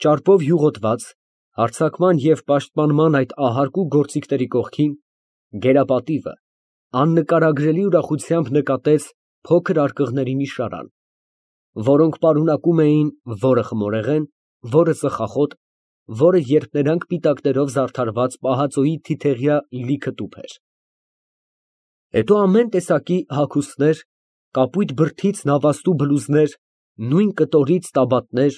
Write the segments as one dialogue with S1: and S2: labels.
S1: Ճարպով յուղոտված, հարձակման և պաշտպանման այդ ահարկու գործիքների կողքին, գերապատիվը աննկարագրելի ուրախությամբ նկատեց փոքր արկղների մի շարան, որոնք պարունակում էին որը խմորեղեն, որը ծխախոտ, որը երբ նրանք պիտակներով զարդարված պահածոյի թիթեղյա լիքը տուփ էր։ Հետո ամեն տեսակի հագուստներ, կապույտ բրդից նավաստու բլուզներ, նույն կտորից տաբատներ,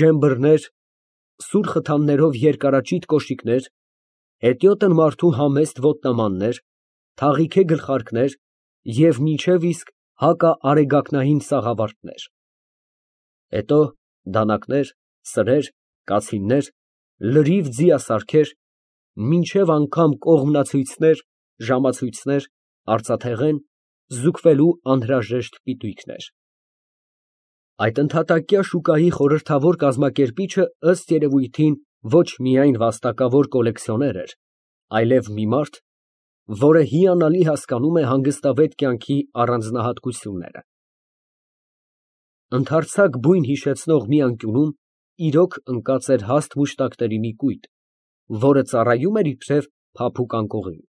S1: ջեմբռներ, սուր խթաններով երկարաճիտ կոշիկներ, հետիոտն մարդու համեստ ոտնամաններ, թաղիթե գլխարկներ և մինչև իսկ հակաարեգակնային սաղավարտներ, հետո դանակներ, սրեր, կացիններ, լրիվ ձիասարքեր, մինչև անգամ կողմնացույցներ, ժամացույցներ, արծաթեղեն, զուգվելու անհրաժեշտ պիտույքներ։ Այդ ընդհատակյա շուկայի խորհրդավոր կազմակերպիչը ըստ երևույթին ոչ միայն վաստակավոր կոլեկցիոներ էր, այլև մի մարդ, որը հիանալի հասկանում է հանգստավետ կյանքի առանձնահատկությունները։ Ընդարձակ բույն հիշեցնող մի անկյունում իրոք ընկած էր հաստ մուշտակների մի կույտ, որը ծառայում էր իբրև փափուկ անկողին։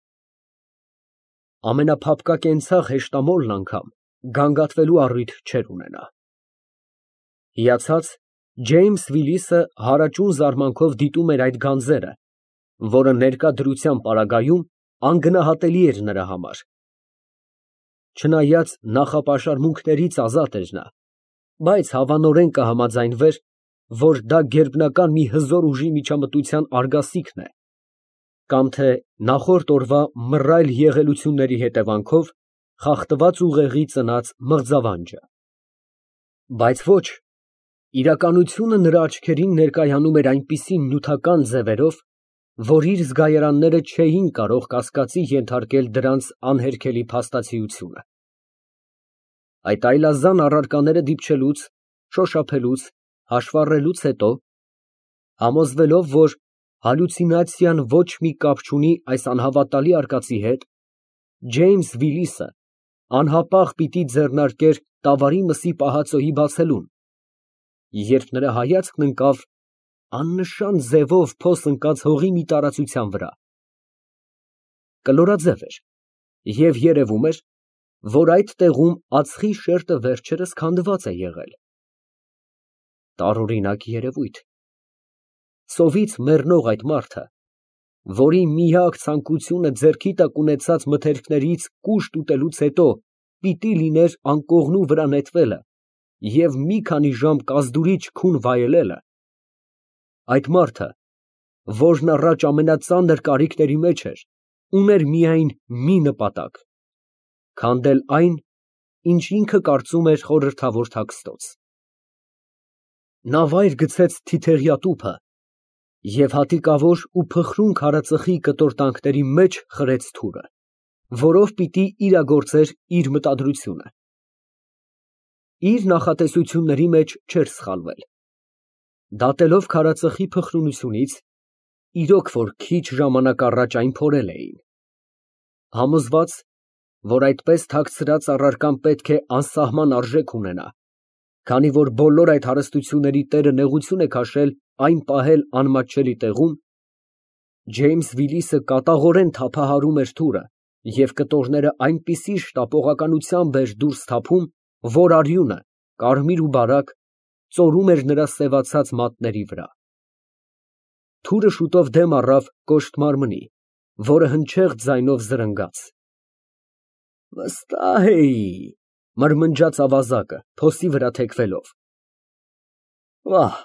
S1: Ամենափափկակենցաղ հեշտամոլն անգամ գանգատվելու առիթ չէր ունենա։ Հիացած, Ջեյմս Վիլիսը հարաճուն զարմանքով դիտում էր այդ գանձերը, որը ներկա դրության պարագայում անգնահատելի էր նրա համար։ Չնայած նախապաշարմունքներից ազատ էր նա, բայց հավանորեն կհամաձայնվեր, որ դա գերբնական մի հզոր ուժի միջամտության արգասիքն է, կամ թե նախորդ օրվա մռայլ եղելությունների հետևանքով խախտված ուղեղի ծնած մղձավանջը։ Բայց ոչ, իրականությունը նրա աչքերին ներկայանում էր այնպիսի նյութական ձևերով, որ իր զգայարանները չէին կարող կասկածի ենթարկել դրանց անհերքելի փաստացիությունը։ Այդ այլազան առարկաները դիպչելուց, շոշափելուց, հաշվառելուց հետո, համոզվելով, որ հալյուցինացիան ոչ մի կապ չունի այս անհավատալի արկածի հետ, Ջեյմս Վիլիսը անհապաղ պիտի ձեռնարկեր տավարի մսի պահածոյի բացելուն, երբ նրա հայացքն ընկավ աննշան ձևով փոս ընկած հողի մի տարածության վրա։ Կլորաձև էր և երևում էր, որ այդ տեղում ածխի շերտը վերջերս քանդված է եղել։ Տարօրինակ երևույթ։ Սովից մեռնող այդ մարդը, որի միակ ցանկությունը ձեռքի տակ ունեցած մթերքներից կուշտ ուտելուց հետո պիտի լիներ անկողնու վրա նետվելը և մի քանի ժամ կազդուրիչ քուն վայելելը, այդ մարդը, որն առաջ ամենածանր կարիքների մեջ էր, ուներ միայն մի նպատակ՝ քանդել այն, ինչ ինքը կարծում էր խորհրդավոր թաքստոց։ Նա վայր գցեց թիթեղյա տուփը և հատիկավոր ու փխրուն քարածխի կտորտանքների մեջ խրեց թուրը, որով պիտի իրագործեր իր մտադրությունը։ Իր նախատեսությունների մեջ չէր սխալվել։ Դատելով քարածխի փխրունությունից, իրոք որ քիչ ժամանակ առաջ այն փորել էին։ Համոզված, որ այդպես թաքցրած առարկան պետք է անսահման արժեք ունենա, քանի որ բոլոր այդ հարստությունների տերը նեղություն է քաշել այն պահել անմատչելի տեղում, Ջեյմս Վիլիսը կատաղորեն թափահարում էր թուրը և կտորները այնպիսի շտապողականությամբ էր դուրս թափում, որ արյունը, կարմիր ու բարակ, ծորում էր նրա սևացած մատների վրա։ Թուրը շուտով դեմ առավ կոշտ մարմնի, որը հնչեղ ձայնով զրնգաց։ Վստահ էի, մրմնջաց ավազակը, փոսի վրա թեքվելով։ Վահ,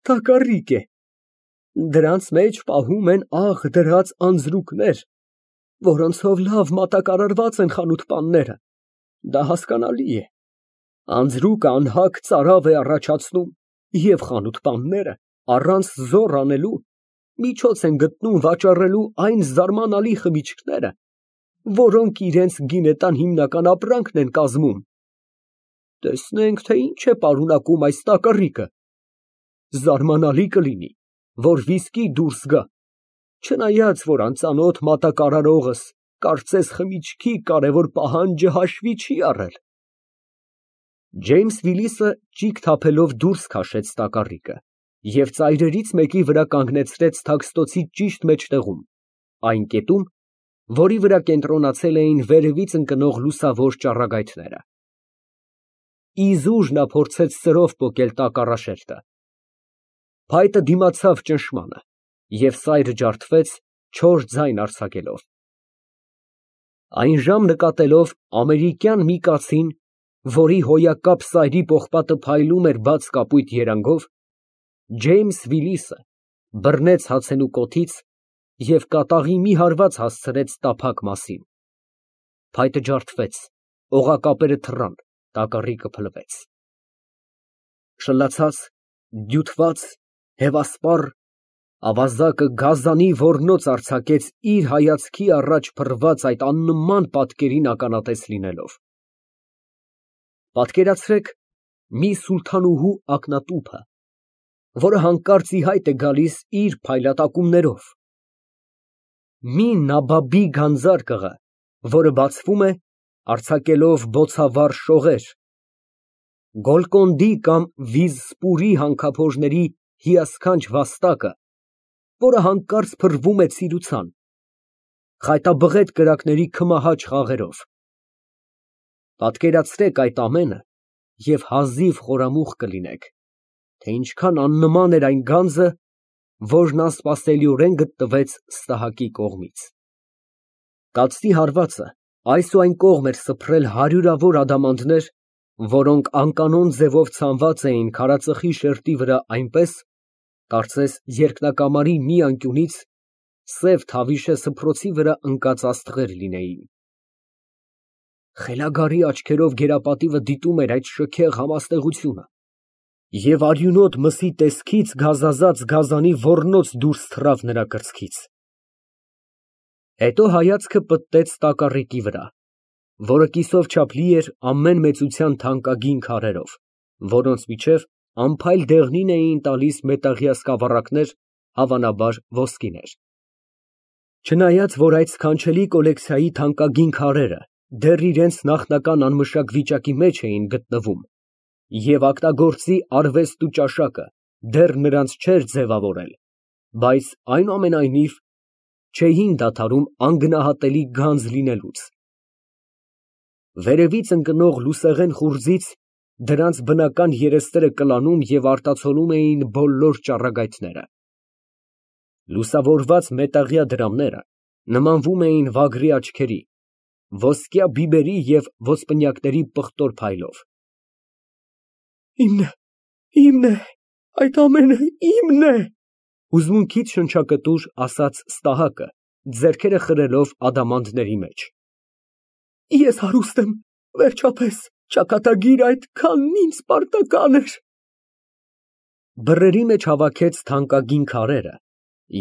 S1: տակառիկ է, դրանց մեջ պահում են աղ դրած անձրուկներ, որոնցով լավ մատակարարված են խանութպանները, դա հասկանալի է, անձրուկը անհագ ծարավ է առաջացնում և խանութպանները առանց զոռ անելու միջոց են գտնում վաճառելու այն զարմանալի խմիչքները, որոնք իրենց գինետան հիմնական ապրանքն են կազմում։ Տեսնենք, թե ինչ է պարունակում այս տակառիկը։ Զարմանալի կլինի, որ վիսկի դուրս գա, չնայած, որ անծանոթ մատակարարողս կարծես խմիչքի կարևոր պահանջը հաշվի չի առել։ Ջեյմս Վիլիսը ճիգ թափելով դուրս քաշեց տակառիկը և ծայրերից մեկի վրա կանգնեցրեց թաքստոցի ճիշտ մեջտեղում, այն կետում, որի վրա կենտրոնացել էին վերևից ընկնող լուսավոր ճառագայթները։ Իզուր նա փորձեց սրով պոկել տակառաշերտը։ Փայտը դիմացավ ճնշմանը, և սայրը ջարդվեց, չոր ձայն արձակելով։ Այնժամ նկատելով ամերիկյան մի կացին, որի հոյակապ սայրի պողպատը փայլում էր բաց կապույտ երանգով, Ջեյմս Վիլիսը բռնեց հացենու կոթից և կատաղի մի հարված հասցրեց տափակ մասին։ Փայտը ջարդվեց, օղակապերը թռան, տակառիկը փլվեց։ Շլացած, դյութված, հևասպառ, ավազակը գազանի ոռնոց արձակեց իր հայացքի առաջ փռված այդ աննման պատկերին ականատես լինելով։ Պատկերացրեք մի սուլթանուհու ակնատուփը, որը հանկարծ ի հայտ է գալիս իր փայլատակումներով, մի նաբաբի գանձարկղը, որը բացվում է, արձակելով բոցավառ շողեր, Գոլկոնդի կամ Վիզսպուրի հանքափոժների հիասքանչ վաստակը, որը հանկարծ փռվում է ցիրուցան, խայտաբղետ կրակների քմահաճ խաղերով։ Պատկերացրեք այդ ամենը և հազիվ խորամուխ կլինեք, թե ինչքան աննման էր այն գանձը, որն անսպասելիորեն գտնվեց ստահակի կողմից։ Կացի հարվածը այս ու այն կողմ էր սփռել հարյուրավոր ադամանդներ, որոնք անկանոն ձևով ցանված էին քարածխի շերտի վրա այնպես, կարծես երկնակամարի մի անկյունից սև թավիշե սփռոցի վրա ընկած աստղեր լինեին։ Խելագարի աչքերով գերապատիվը դիտում էր այդ շքեղ համաստեղությունը, և արյունոտ մսի տեսքից գազազած գազանի ոռնոց դուրս թռավ նրա կրծքից։ Հետո հայացքը պտտեց տակառիկի վրա, որը կիսով չափ լի էր ամեն մեծության թանկագին քարերով, որոնց միջև անփայլ դեղնին էին տալիս մետաղյա սկավառակներ, հավանաբար ոսկիներ։ Չնայած որ այդ սքանչելի կոլեկցիայի թանկագին քարերը դեռ իրենց նախնական անմշակ վիճակի մեջ էին գտնվում, և ագտագործի արվեստ ու ճաշակը դեռ նրանց չէր ձևավորել, բայց այնուամենայնիվ չէին դադարում անգնահատելի գանձ լինելուց։ Վերևից ընկնող լուսեղեն խուრძից դրանց բնական երեսները կլանում և արտացոլում էին բոլոր ճառագայթները։ Լուսավորված մետաղյա դրամները նմանվում էին վագրի աչքերի, ոսկյա բիբերի և ոսպնյակների պղտոր փայլով։ Իմն է, այդ ամենը իմն է, հուզմունքից շնչակտուր ասաց ստահակը, ձեռքերը խրելով ադամանդների մեջ։ Ես հարուստ եմ, վերջապես, ճակատագիր այդքանն ինձ պարտական էր։ Բռների մեջ հավաքեց թանկագին քարերը,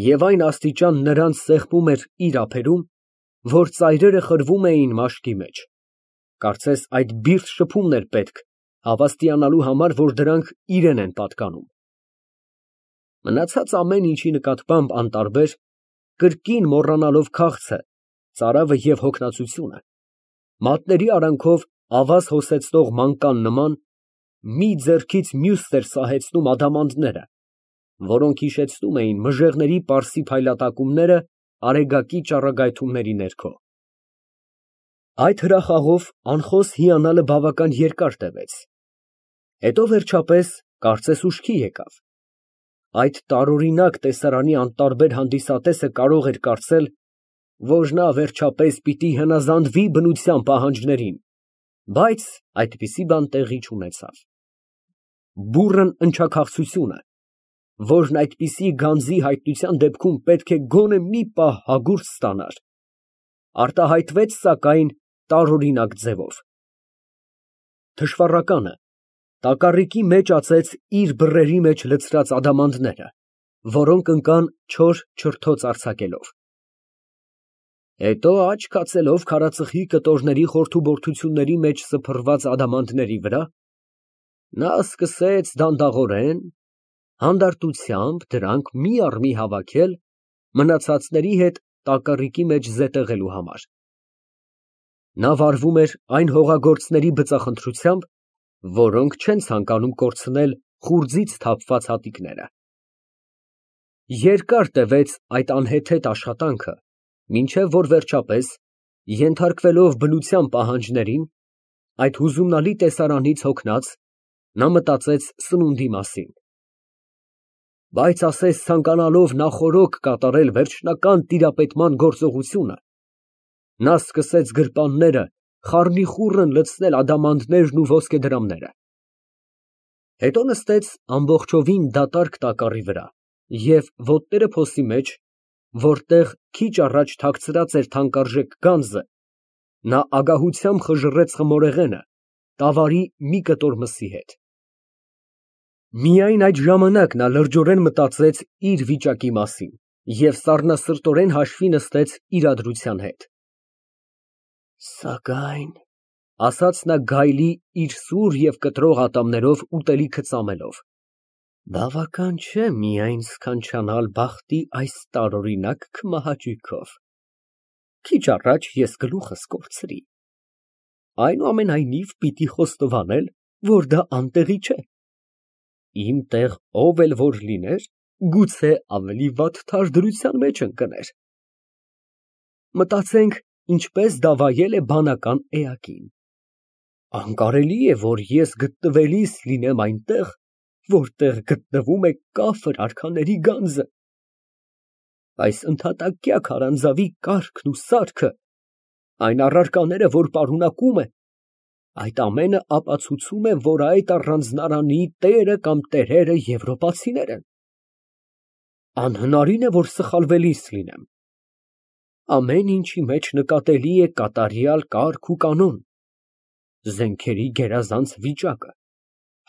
S1: և այն աստիճան նրանց սեղմում էր իր ափերում, որ ծայրերը խրվում էին մաշկի մեջ, կարծես այդ բիրտ շփումն էր պետք, հավաստիանալու համար, որ դրանք իրան են պատկանում։ Մնացած ամեն ինչի նկատմամբ անտարբեր, կրկին մոռանալով քաղցը, ծարավը և հոգնածությունը, մատների արանքով ավազ հոսեցնող մանկան նման, մի ձեռքից մյուսն էր սահեցնում ադամանդները, որոնք հիշեցնում էին մժեղների պարսի փայլատակումները արեգակի ճառագայթումների ներքո։ Այդ հրախաղով անխոս հիանալը բավական երկար տևեց, հետո վերջապես կարծես ուշքի եկավ։ Այդ տարօրինակ տեսարանի անտարբեր հանդիսատեսը կարող էր կարծել, որ նա վերջապես պիտի հնազանդվի բնության պահանջներին, բայց այդպիսի բան տեղի չունեցավ։ Բուռն ընչաքաղցությունը, որն այդպիսի գանձի հայտնության դեպքում պետք է գոնե մի պահ հագուրտ ստանար, արտահայտվեց սակայն տարօրինակ ձևով։ Թշվառականը տակառիկի մեջ ածեց իր բռների մեջ լցրած ադամանդները, որոնք ընկան չոր չրթոց արձակելով։ Հետո աչք հացելով քարածխի կտորների խորթուբորթությունների մեջ սփռված ադամանդների վրա, նա սկսեց դանդաղորեն, հանդարտությամբ դրանք մի առ մի հավաքել մնացածների հետ տակառիկի մեջ զետեղելու համար։ Նա վարվում էր այն հողագործների բծախնդրությամբ, որոնք չեն ցանկանում կորցնել խուրձից թափված հատիկները։ Երկար տևեց այդ անհեթեթ աշխատանքը, մինչև որ վերջապես, ենթարկվելով բնության պահանջներին, այդ հուզումնալի տեսարանից հոգնած, նա մտածեց սնունդի մասին։ Բայց ասես ցանկանալով նախօրոք կատարել վերջնական տիրապետման գործողությունը, նա սկսեց գրպանները խառնիխուռն լցնել ադամանդներն ու ոսկեդրամները։ Հետո նստեց ամբողջովին դատարկ տակառի վրա և ոտները փոսի մեջ, որտեղ քիչ առաջ թաքցրած էր թանկարժեք գանձը, նա ագահությամբ խժռեց խմորեղենը տավարի մի կտոր մսի հետ։ Միայն այդ ժամանակ նա լրջորեն մտածեց իր վիճակի մասին և սառնասրտորեն հաշվի նստեց իրադրության հետ։ «Սակայն…» ասաց նա գայլի իր սուր և կտրող ատամներով ուտելիքը ծամելով, «բավական չէ միայն սքանչանալ բախտի այս տարօրինակ քմահաճույքով, քիչ առաջ ես գլուխս կորցրի, այնուամենայնիվ պիտի խոստովանել, որ դա անտեղի չէ, իմ տեղ ով էլ որ լիներ, գուցե ավելի վատ թարդրության մեջ ընկներ։ Մտածենք, ինչպես դավայել է բանական էակին։ Անկարելի է, որ ես գտնվելիս լինեմ այնտեղ, որտեղ գտնվում է կաֆր արքաների գանձը։ Այս ընդհատակյա քարանձավի կառքն ու սարքը, այն առարկաները, որ պարունակում է, այդ ամենը ապացուցում է, որ այդ առանձնարանի տերը կամ տերերը եվրոպացիներ են։ Անհնարին է, որ սխալվելիս լինեմ։ Ամեն ինչի մեջ նկատելի է կատարյալ կարգ ու կանոն, զենքերի գերազանց վիճակը,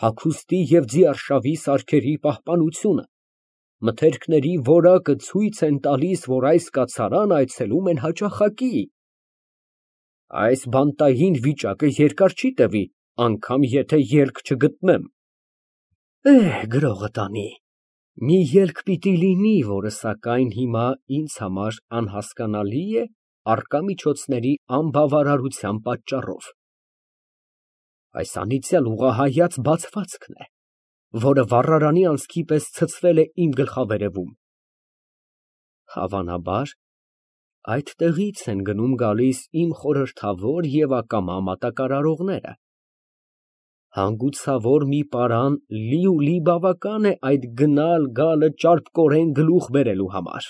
S1: հագուստի և ձիարշավի սարքերի պահպանությունը, մթերքների որակը ցույց են տալիս, որ այս կացարան այցելում են հաճախակի։ Այս բանտային վիճակը երկար չի տևի, անգամ եթե ելք չգտնեմ։ Գրողը տանի, մի ելք պիտի լինի, որը սակայն հիմա ինձ համար անհասկանալի է առկա միջոցների անբավարարության պատճառով։ Այս անիծյալ ուղղահայաց բացվածքն է, որը վառարանի անցքի պես ցցվել է իմ գլխավերևում։ Հավանաբար, այդտեղից են գնում֊գալիս իմ խորհրդավոր և ակամա մատակարարողները։ Հանգուցավոր մի պարան լիուլի բավական է այդ գնալ֊գալը ճարպկորեն գլուխ բերելու համար։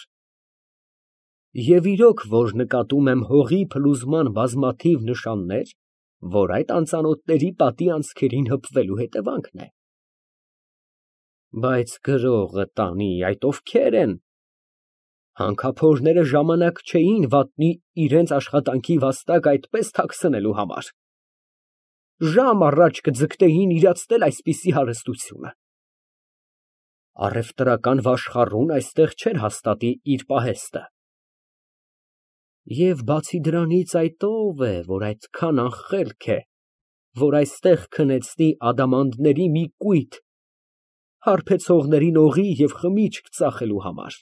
S1: Եվ իրոք, որ նկատում եմ հողի փլուզման բազմաթիվ նշաններ, որ այդ անծանոթների պատի անցքերին հպվելու հետևանքն է։ Բայց գրողը տանի, այդ ովքեր են։ Հանքափորները ժամանակ չէին վատնի իրենց աշխատանքի վաստակ այդպես թաքցնելու համար։ Ժամ առաջ կձգտեին իրացնել այսպիսի հարստությունը։ Առևտրական վաշխառուն այստեղ չէր հաստատի իր պահեստը։ Եվ բացի դրանից այդ ո՞վ է, որ այդքան անխելք է, որ այստեղ քնեցնի ադամանդների մի կույտ հարբեցողներին օղի և խմիչք ծախելու համար։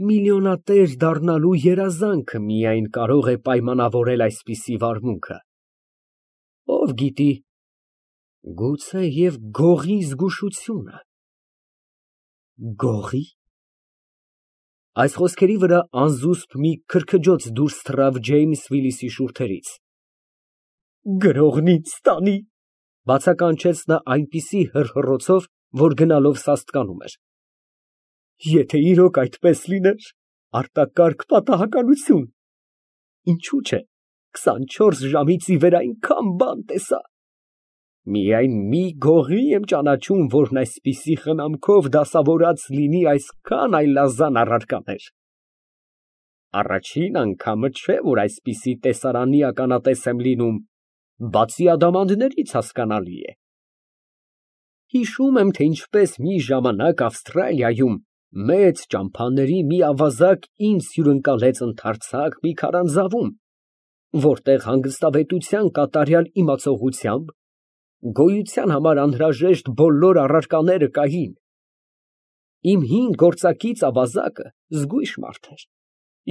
S1: Միլիոնատեր դառնալու երազանքը միայն կարող է պայմանավորել այսպիսի վարմունքը։ Ով գիտի, գուցեև գողի զգուշությունը։ Գողի… Այս խոսքերի վրա անզուսպ մի քրքջոց դուրս թռավ Ջեյմս Վիլիսի շուրթերից։ Գրողն ինձ տանի, բացականչեց նա այնպիսի հռհռոցով, որ գնալով սաստկանում էր։ Եթե իրոք այդպես լիներ, արտակարգ պատահականություն։ Ինչու՞ չէ, 24 ժամից ի վեր այնքան բան տեսա։ Միայն մի գողի եմ ճանաչում, որն այսպիսի խնամքով դասավորած լինի այսքան այլազան առարկաներ։ Առաջին անգամը չէ, որ այսպիսի տեսարանի ականատես եմ լինում, բացի ադամանդներից, հասկանալի է։ Հիշում եմ, թե ինչպես մի ժամանակ Ավստրալիայում մեծ ճամփաների մի ավազակ ինձ հյուրընկալեց ընդարձակ մի քարանձավում, որտեղ հանգստավետության կատարյալ իմացողությամբ գոյության համար անհրաժեշտ բոլոր առարկաները կային։ Իմ հին գործակից ավազակը զգույշ մարդ էր,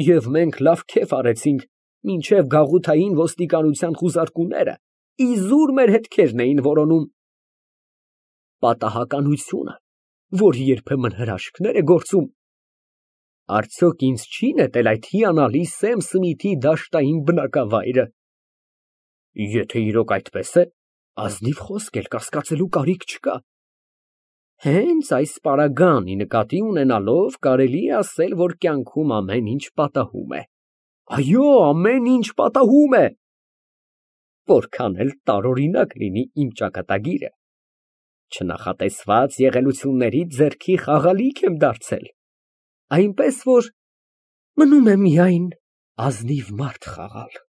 S1: և մենք լավ քեֆ արեցինք, մինչև գաղութային ոստիկանության խուզարկուները իզուր մեր հետքերն էին որոնում։ Պատահականությունը, որ երբեմն հրաշքներ է գործում։ Արդյոք ինձ չի նետել այդ հիանալի Սեմ Սմիթի դաշտային բնակավայրը։ Եթե իրոք այդպես է, ազնիվ խոսք էլ կասկածելու կարիք չկա։ Հենց այս պարագանի նկատի ունենալով կարելի է ասել, որ կյանքում ամեն ինչ պատահում է։ Այո, ամեն ինչ պատահում է։ Որքան էլ տարօրինակ լինի իմ ճակատագիրը, չնախատեսված եղելություններից ձեռքի խաղալիք եմ դարձել, այնպես որ մնում է միայն ազնիվ մարդ խաղալ։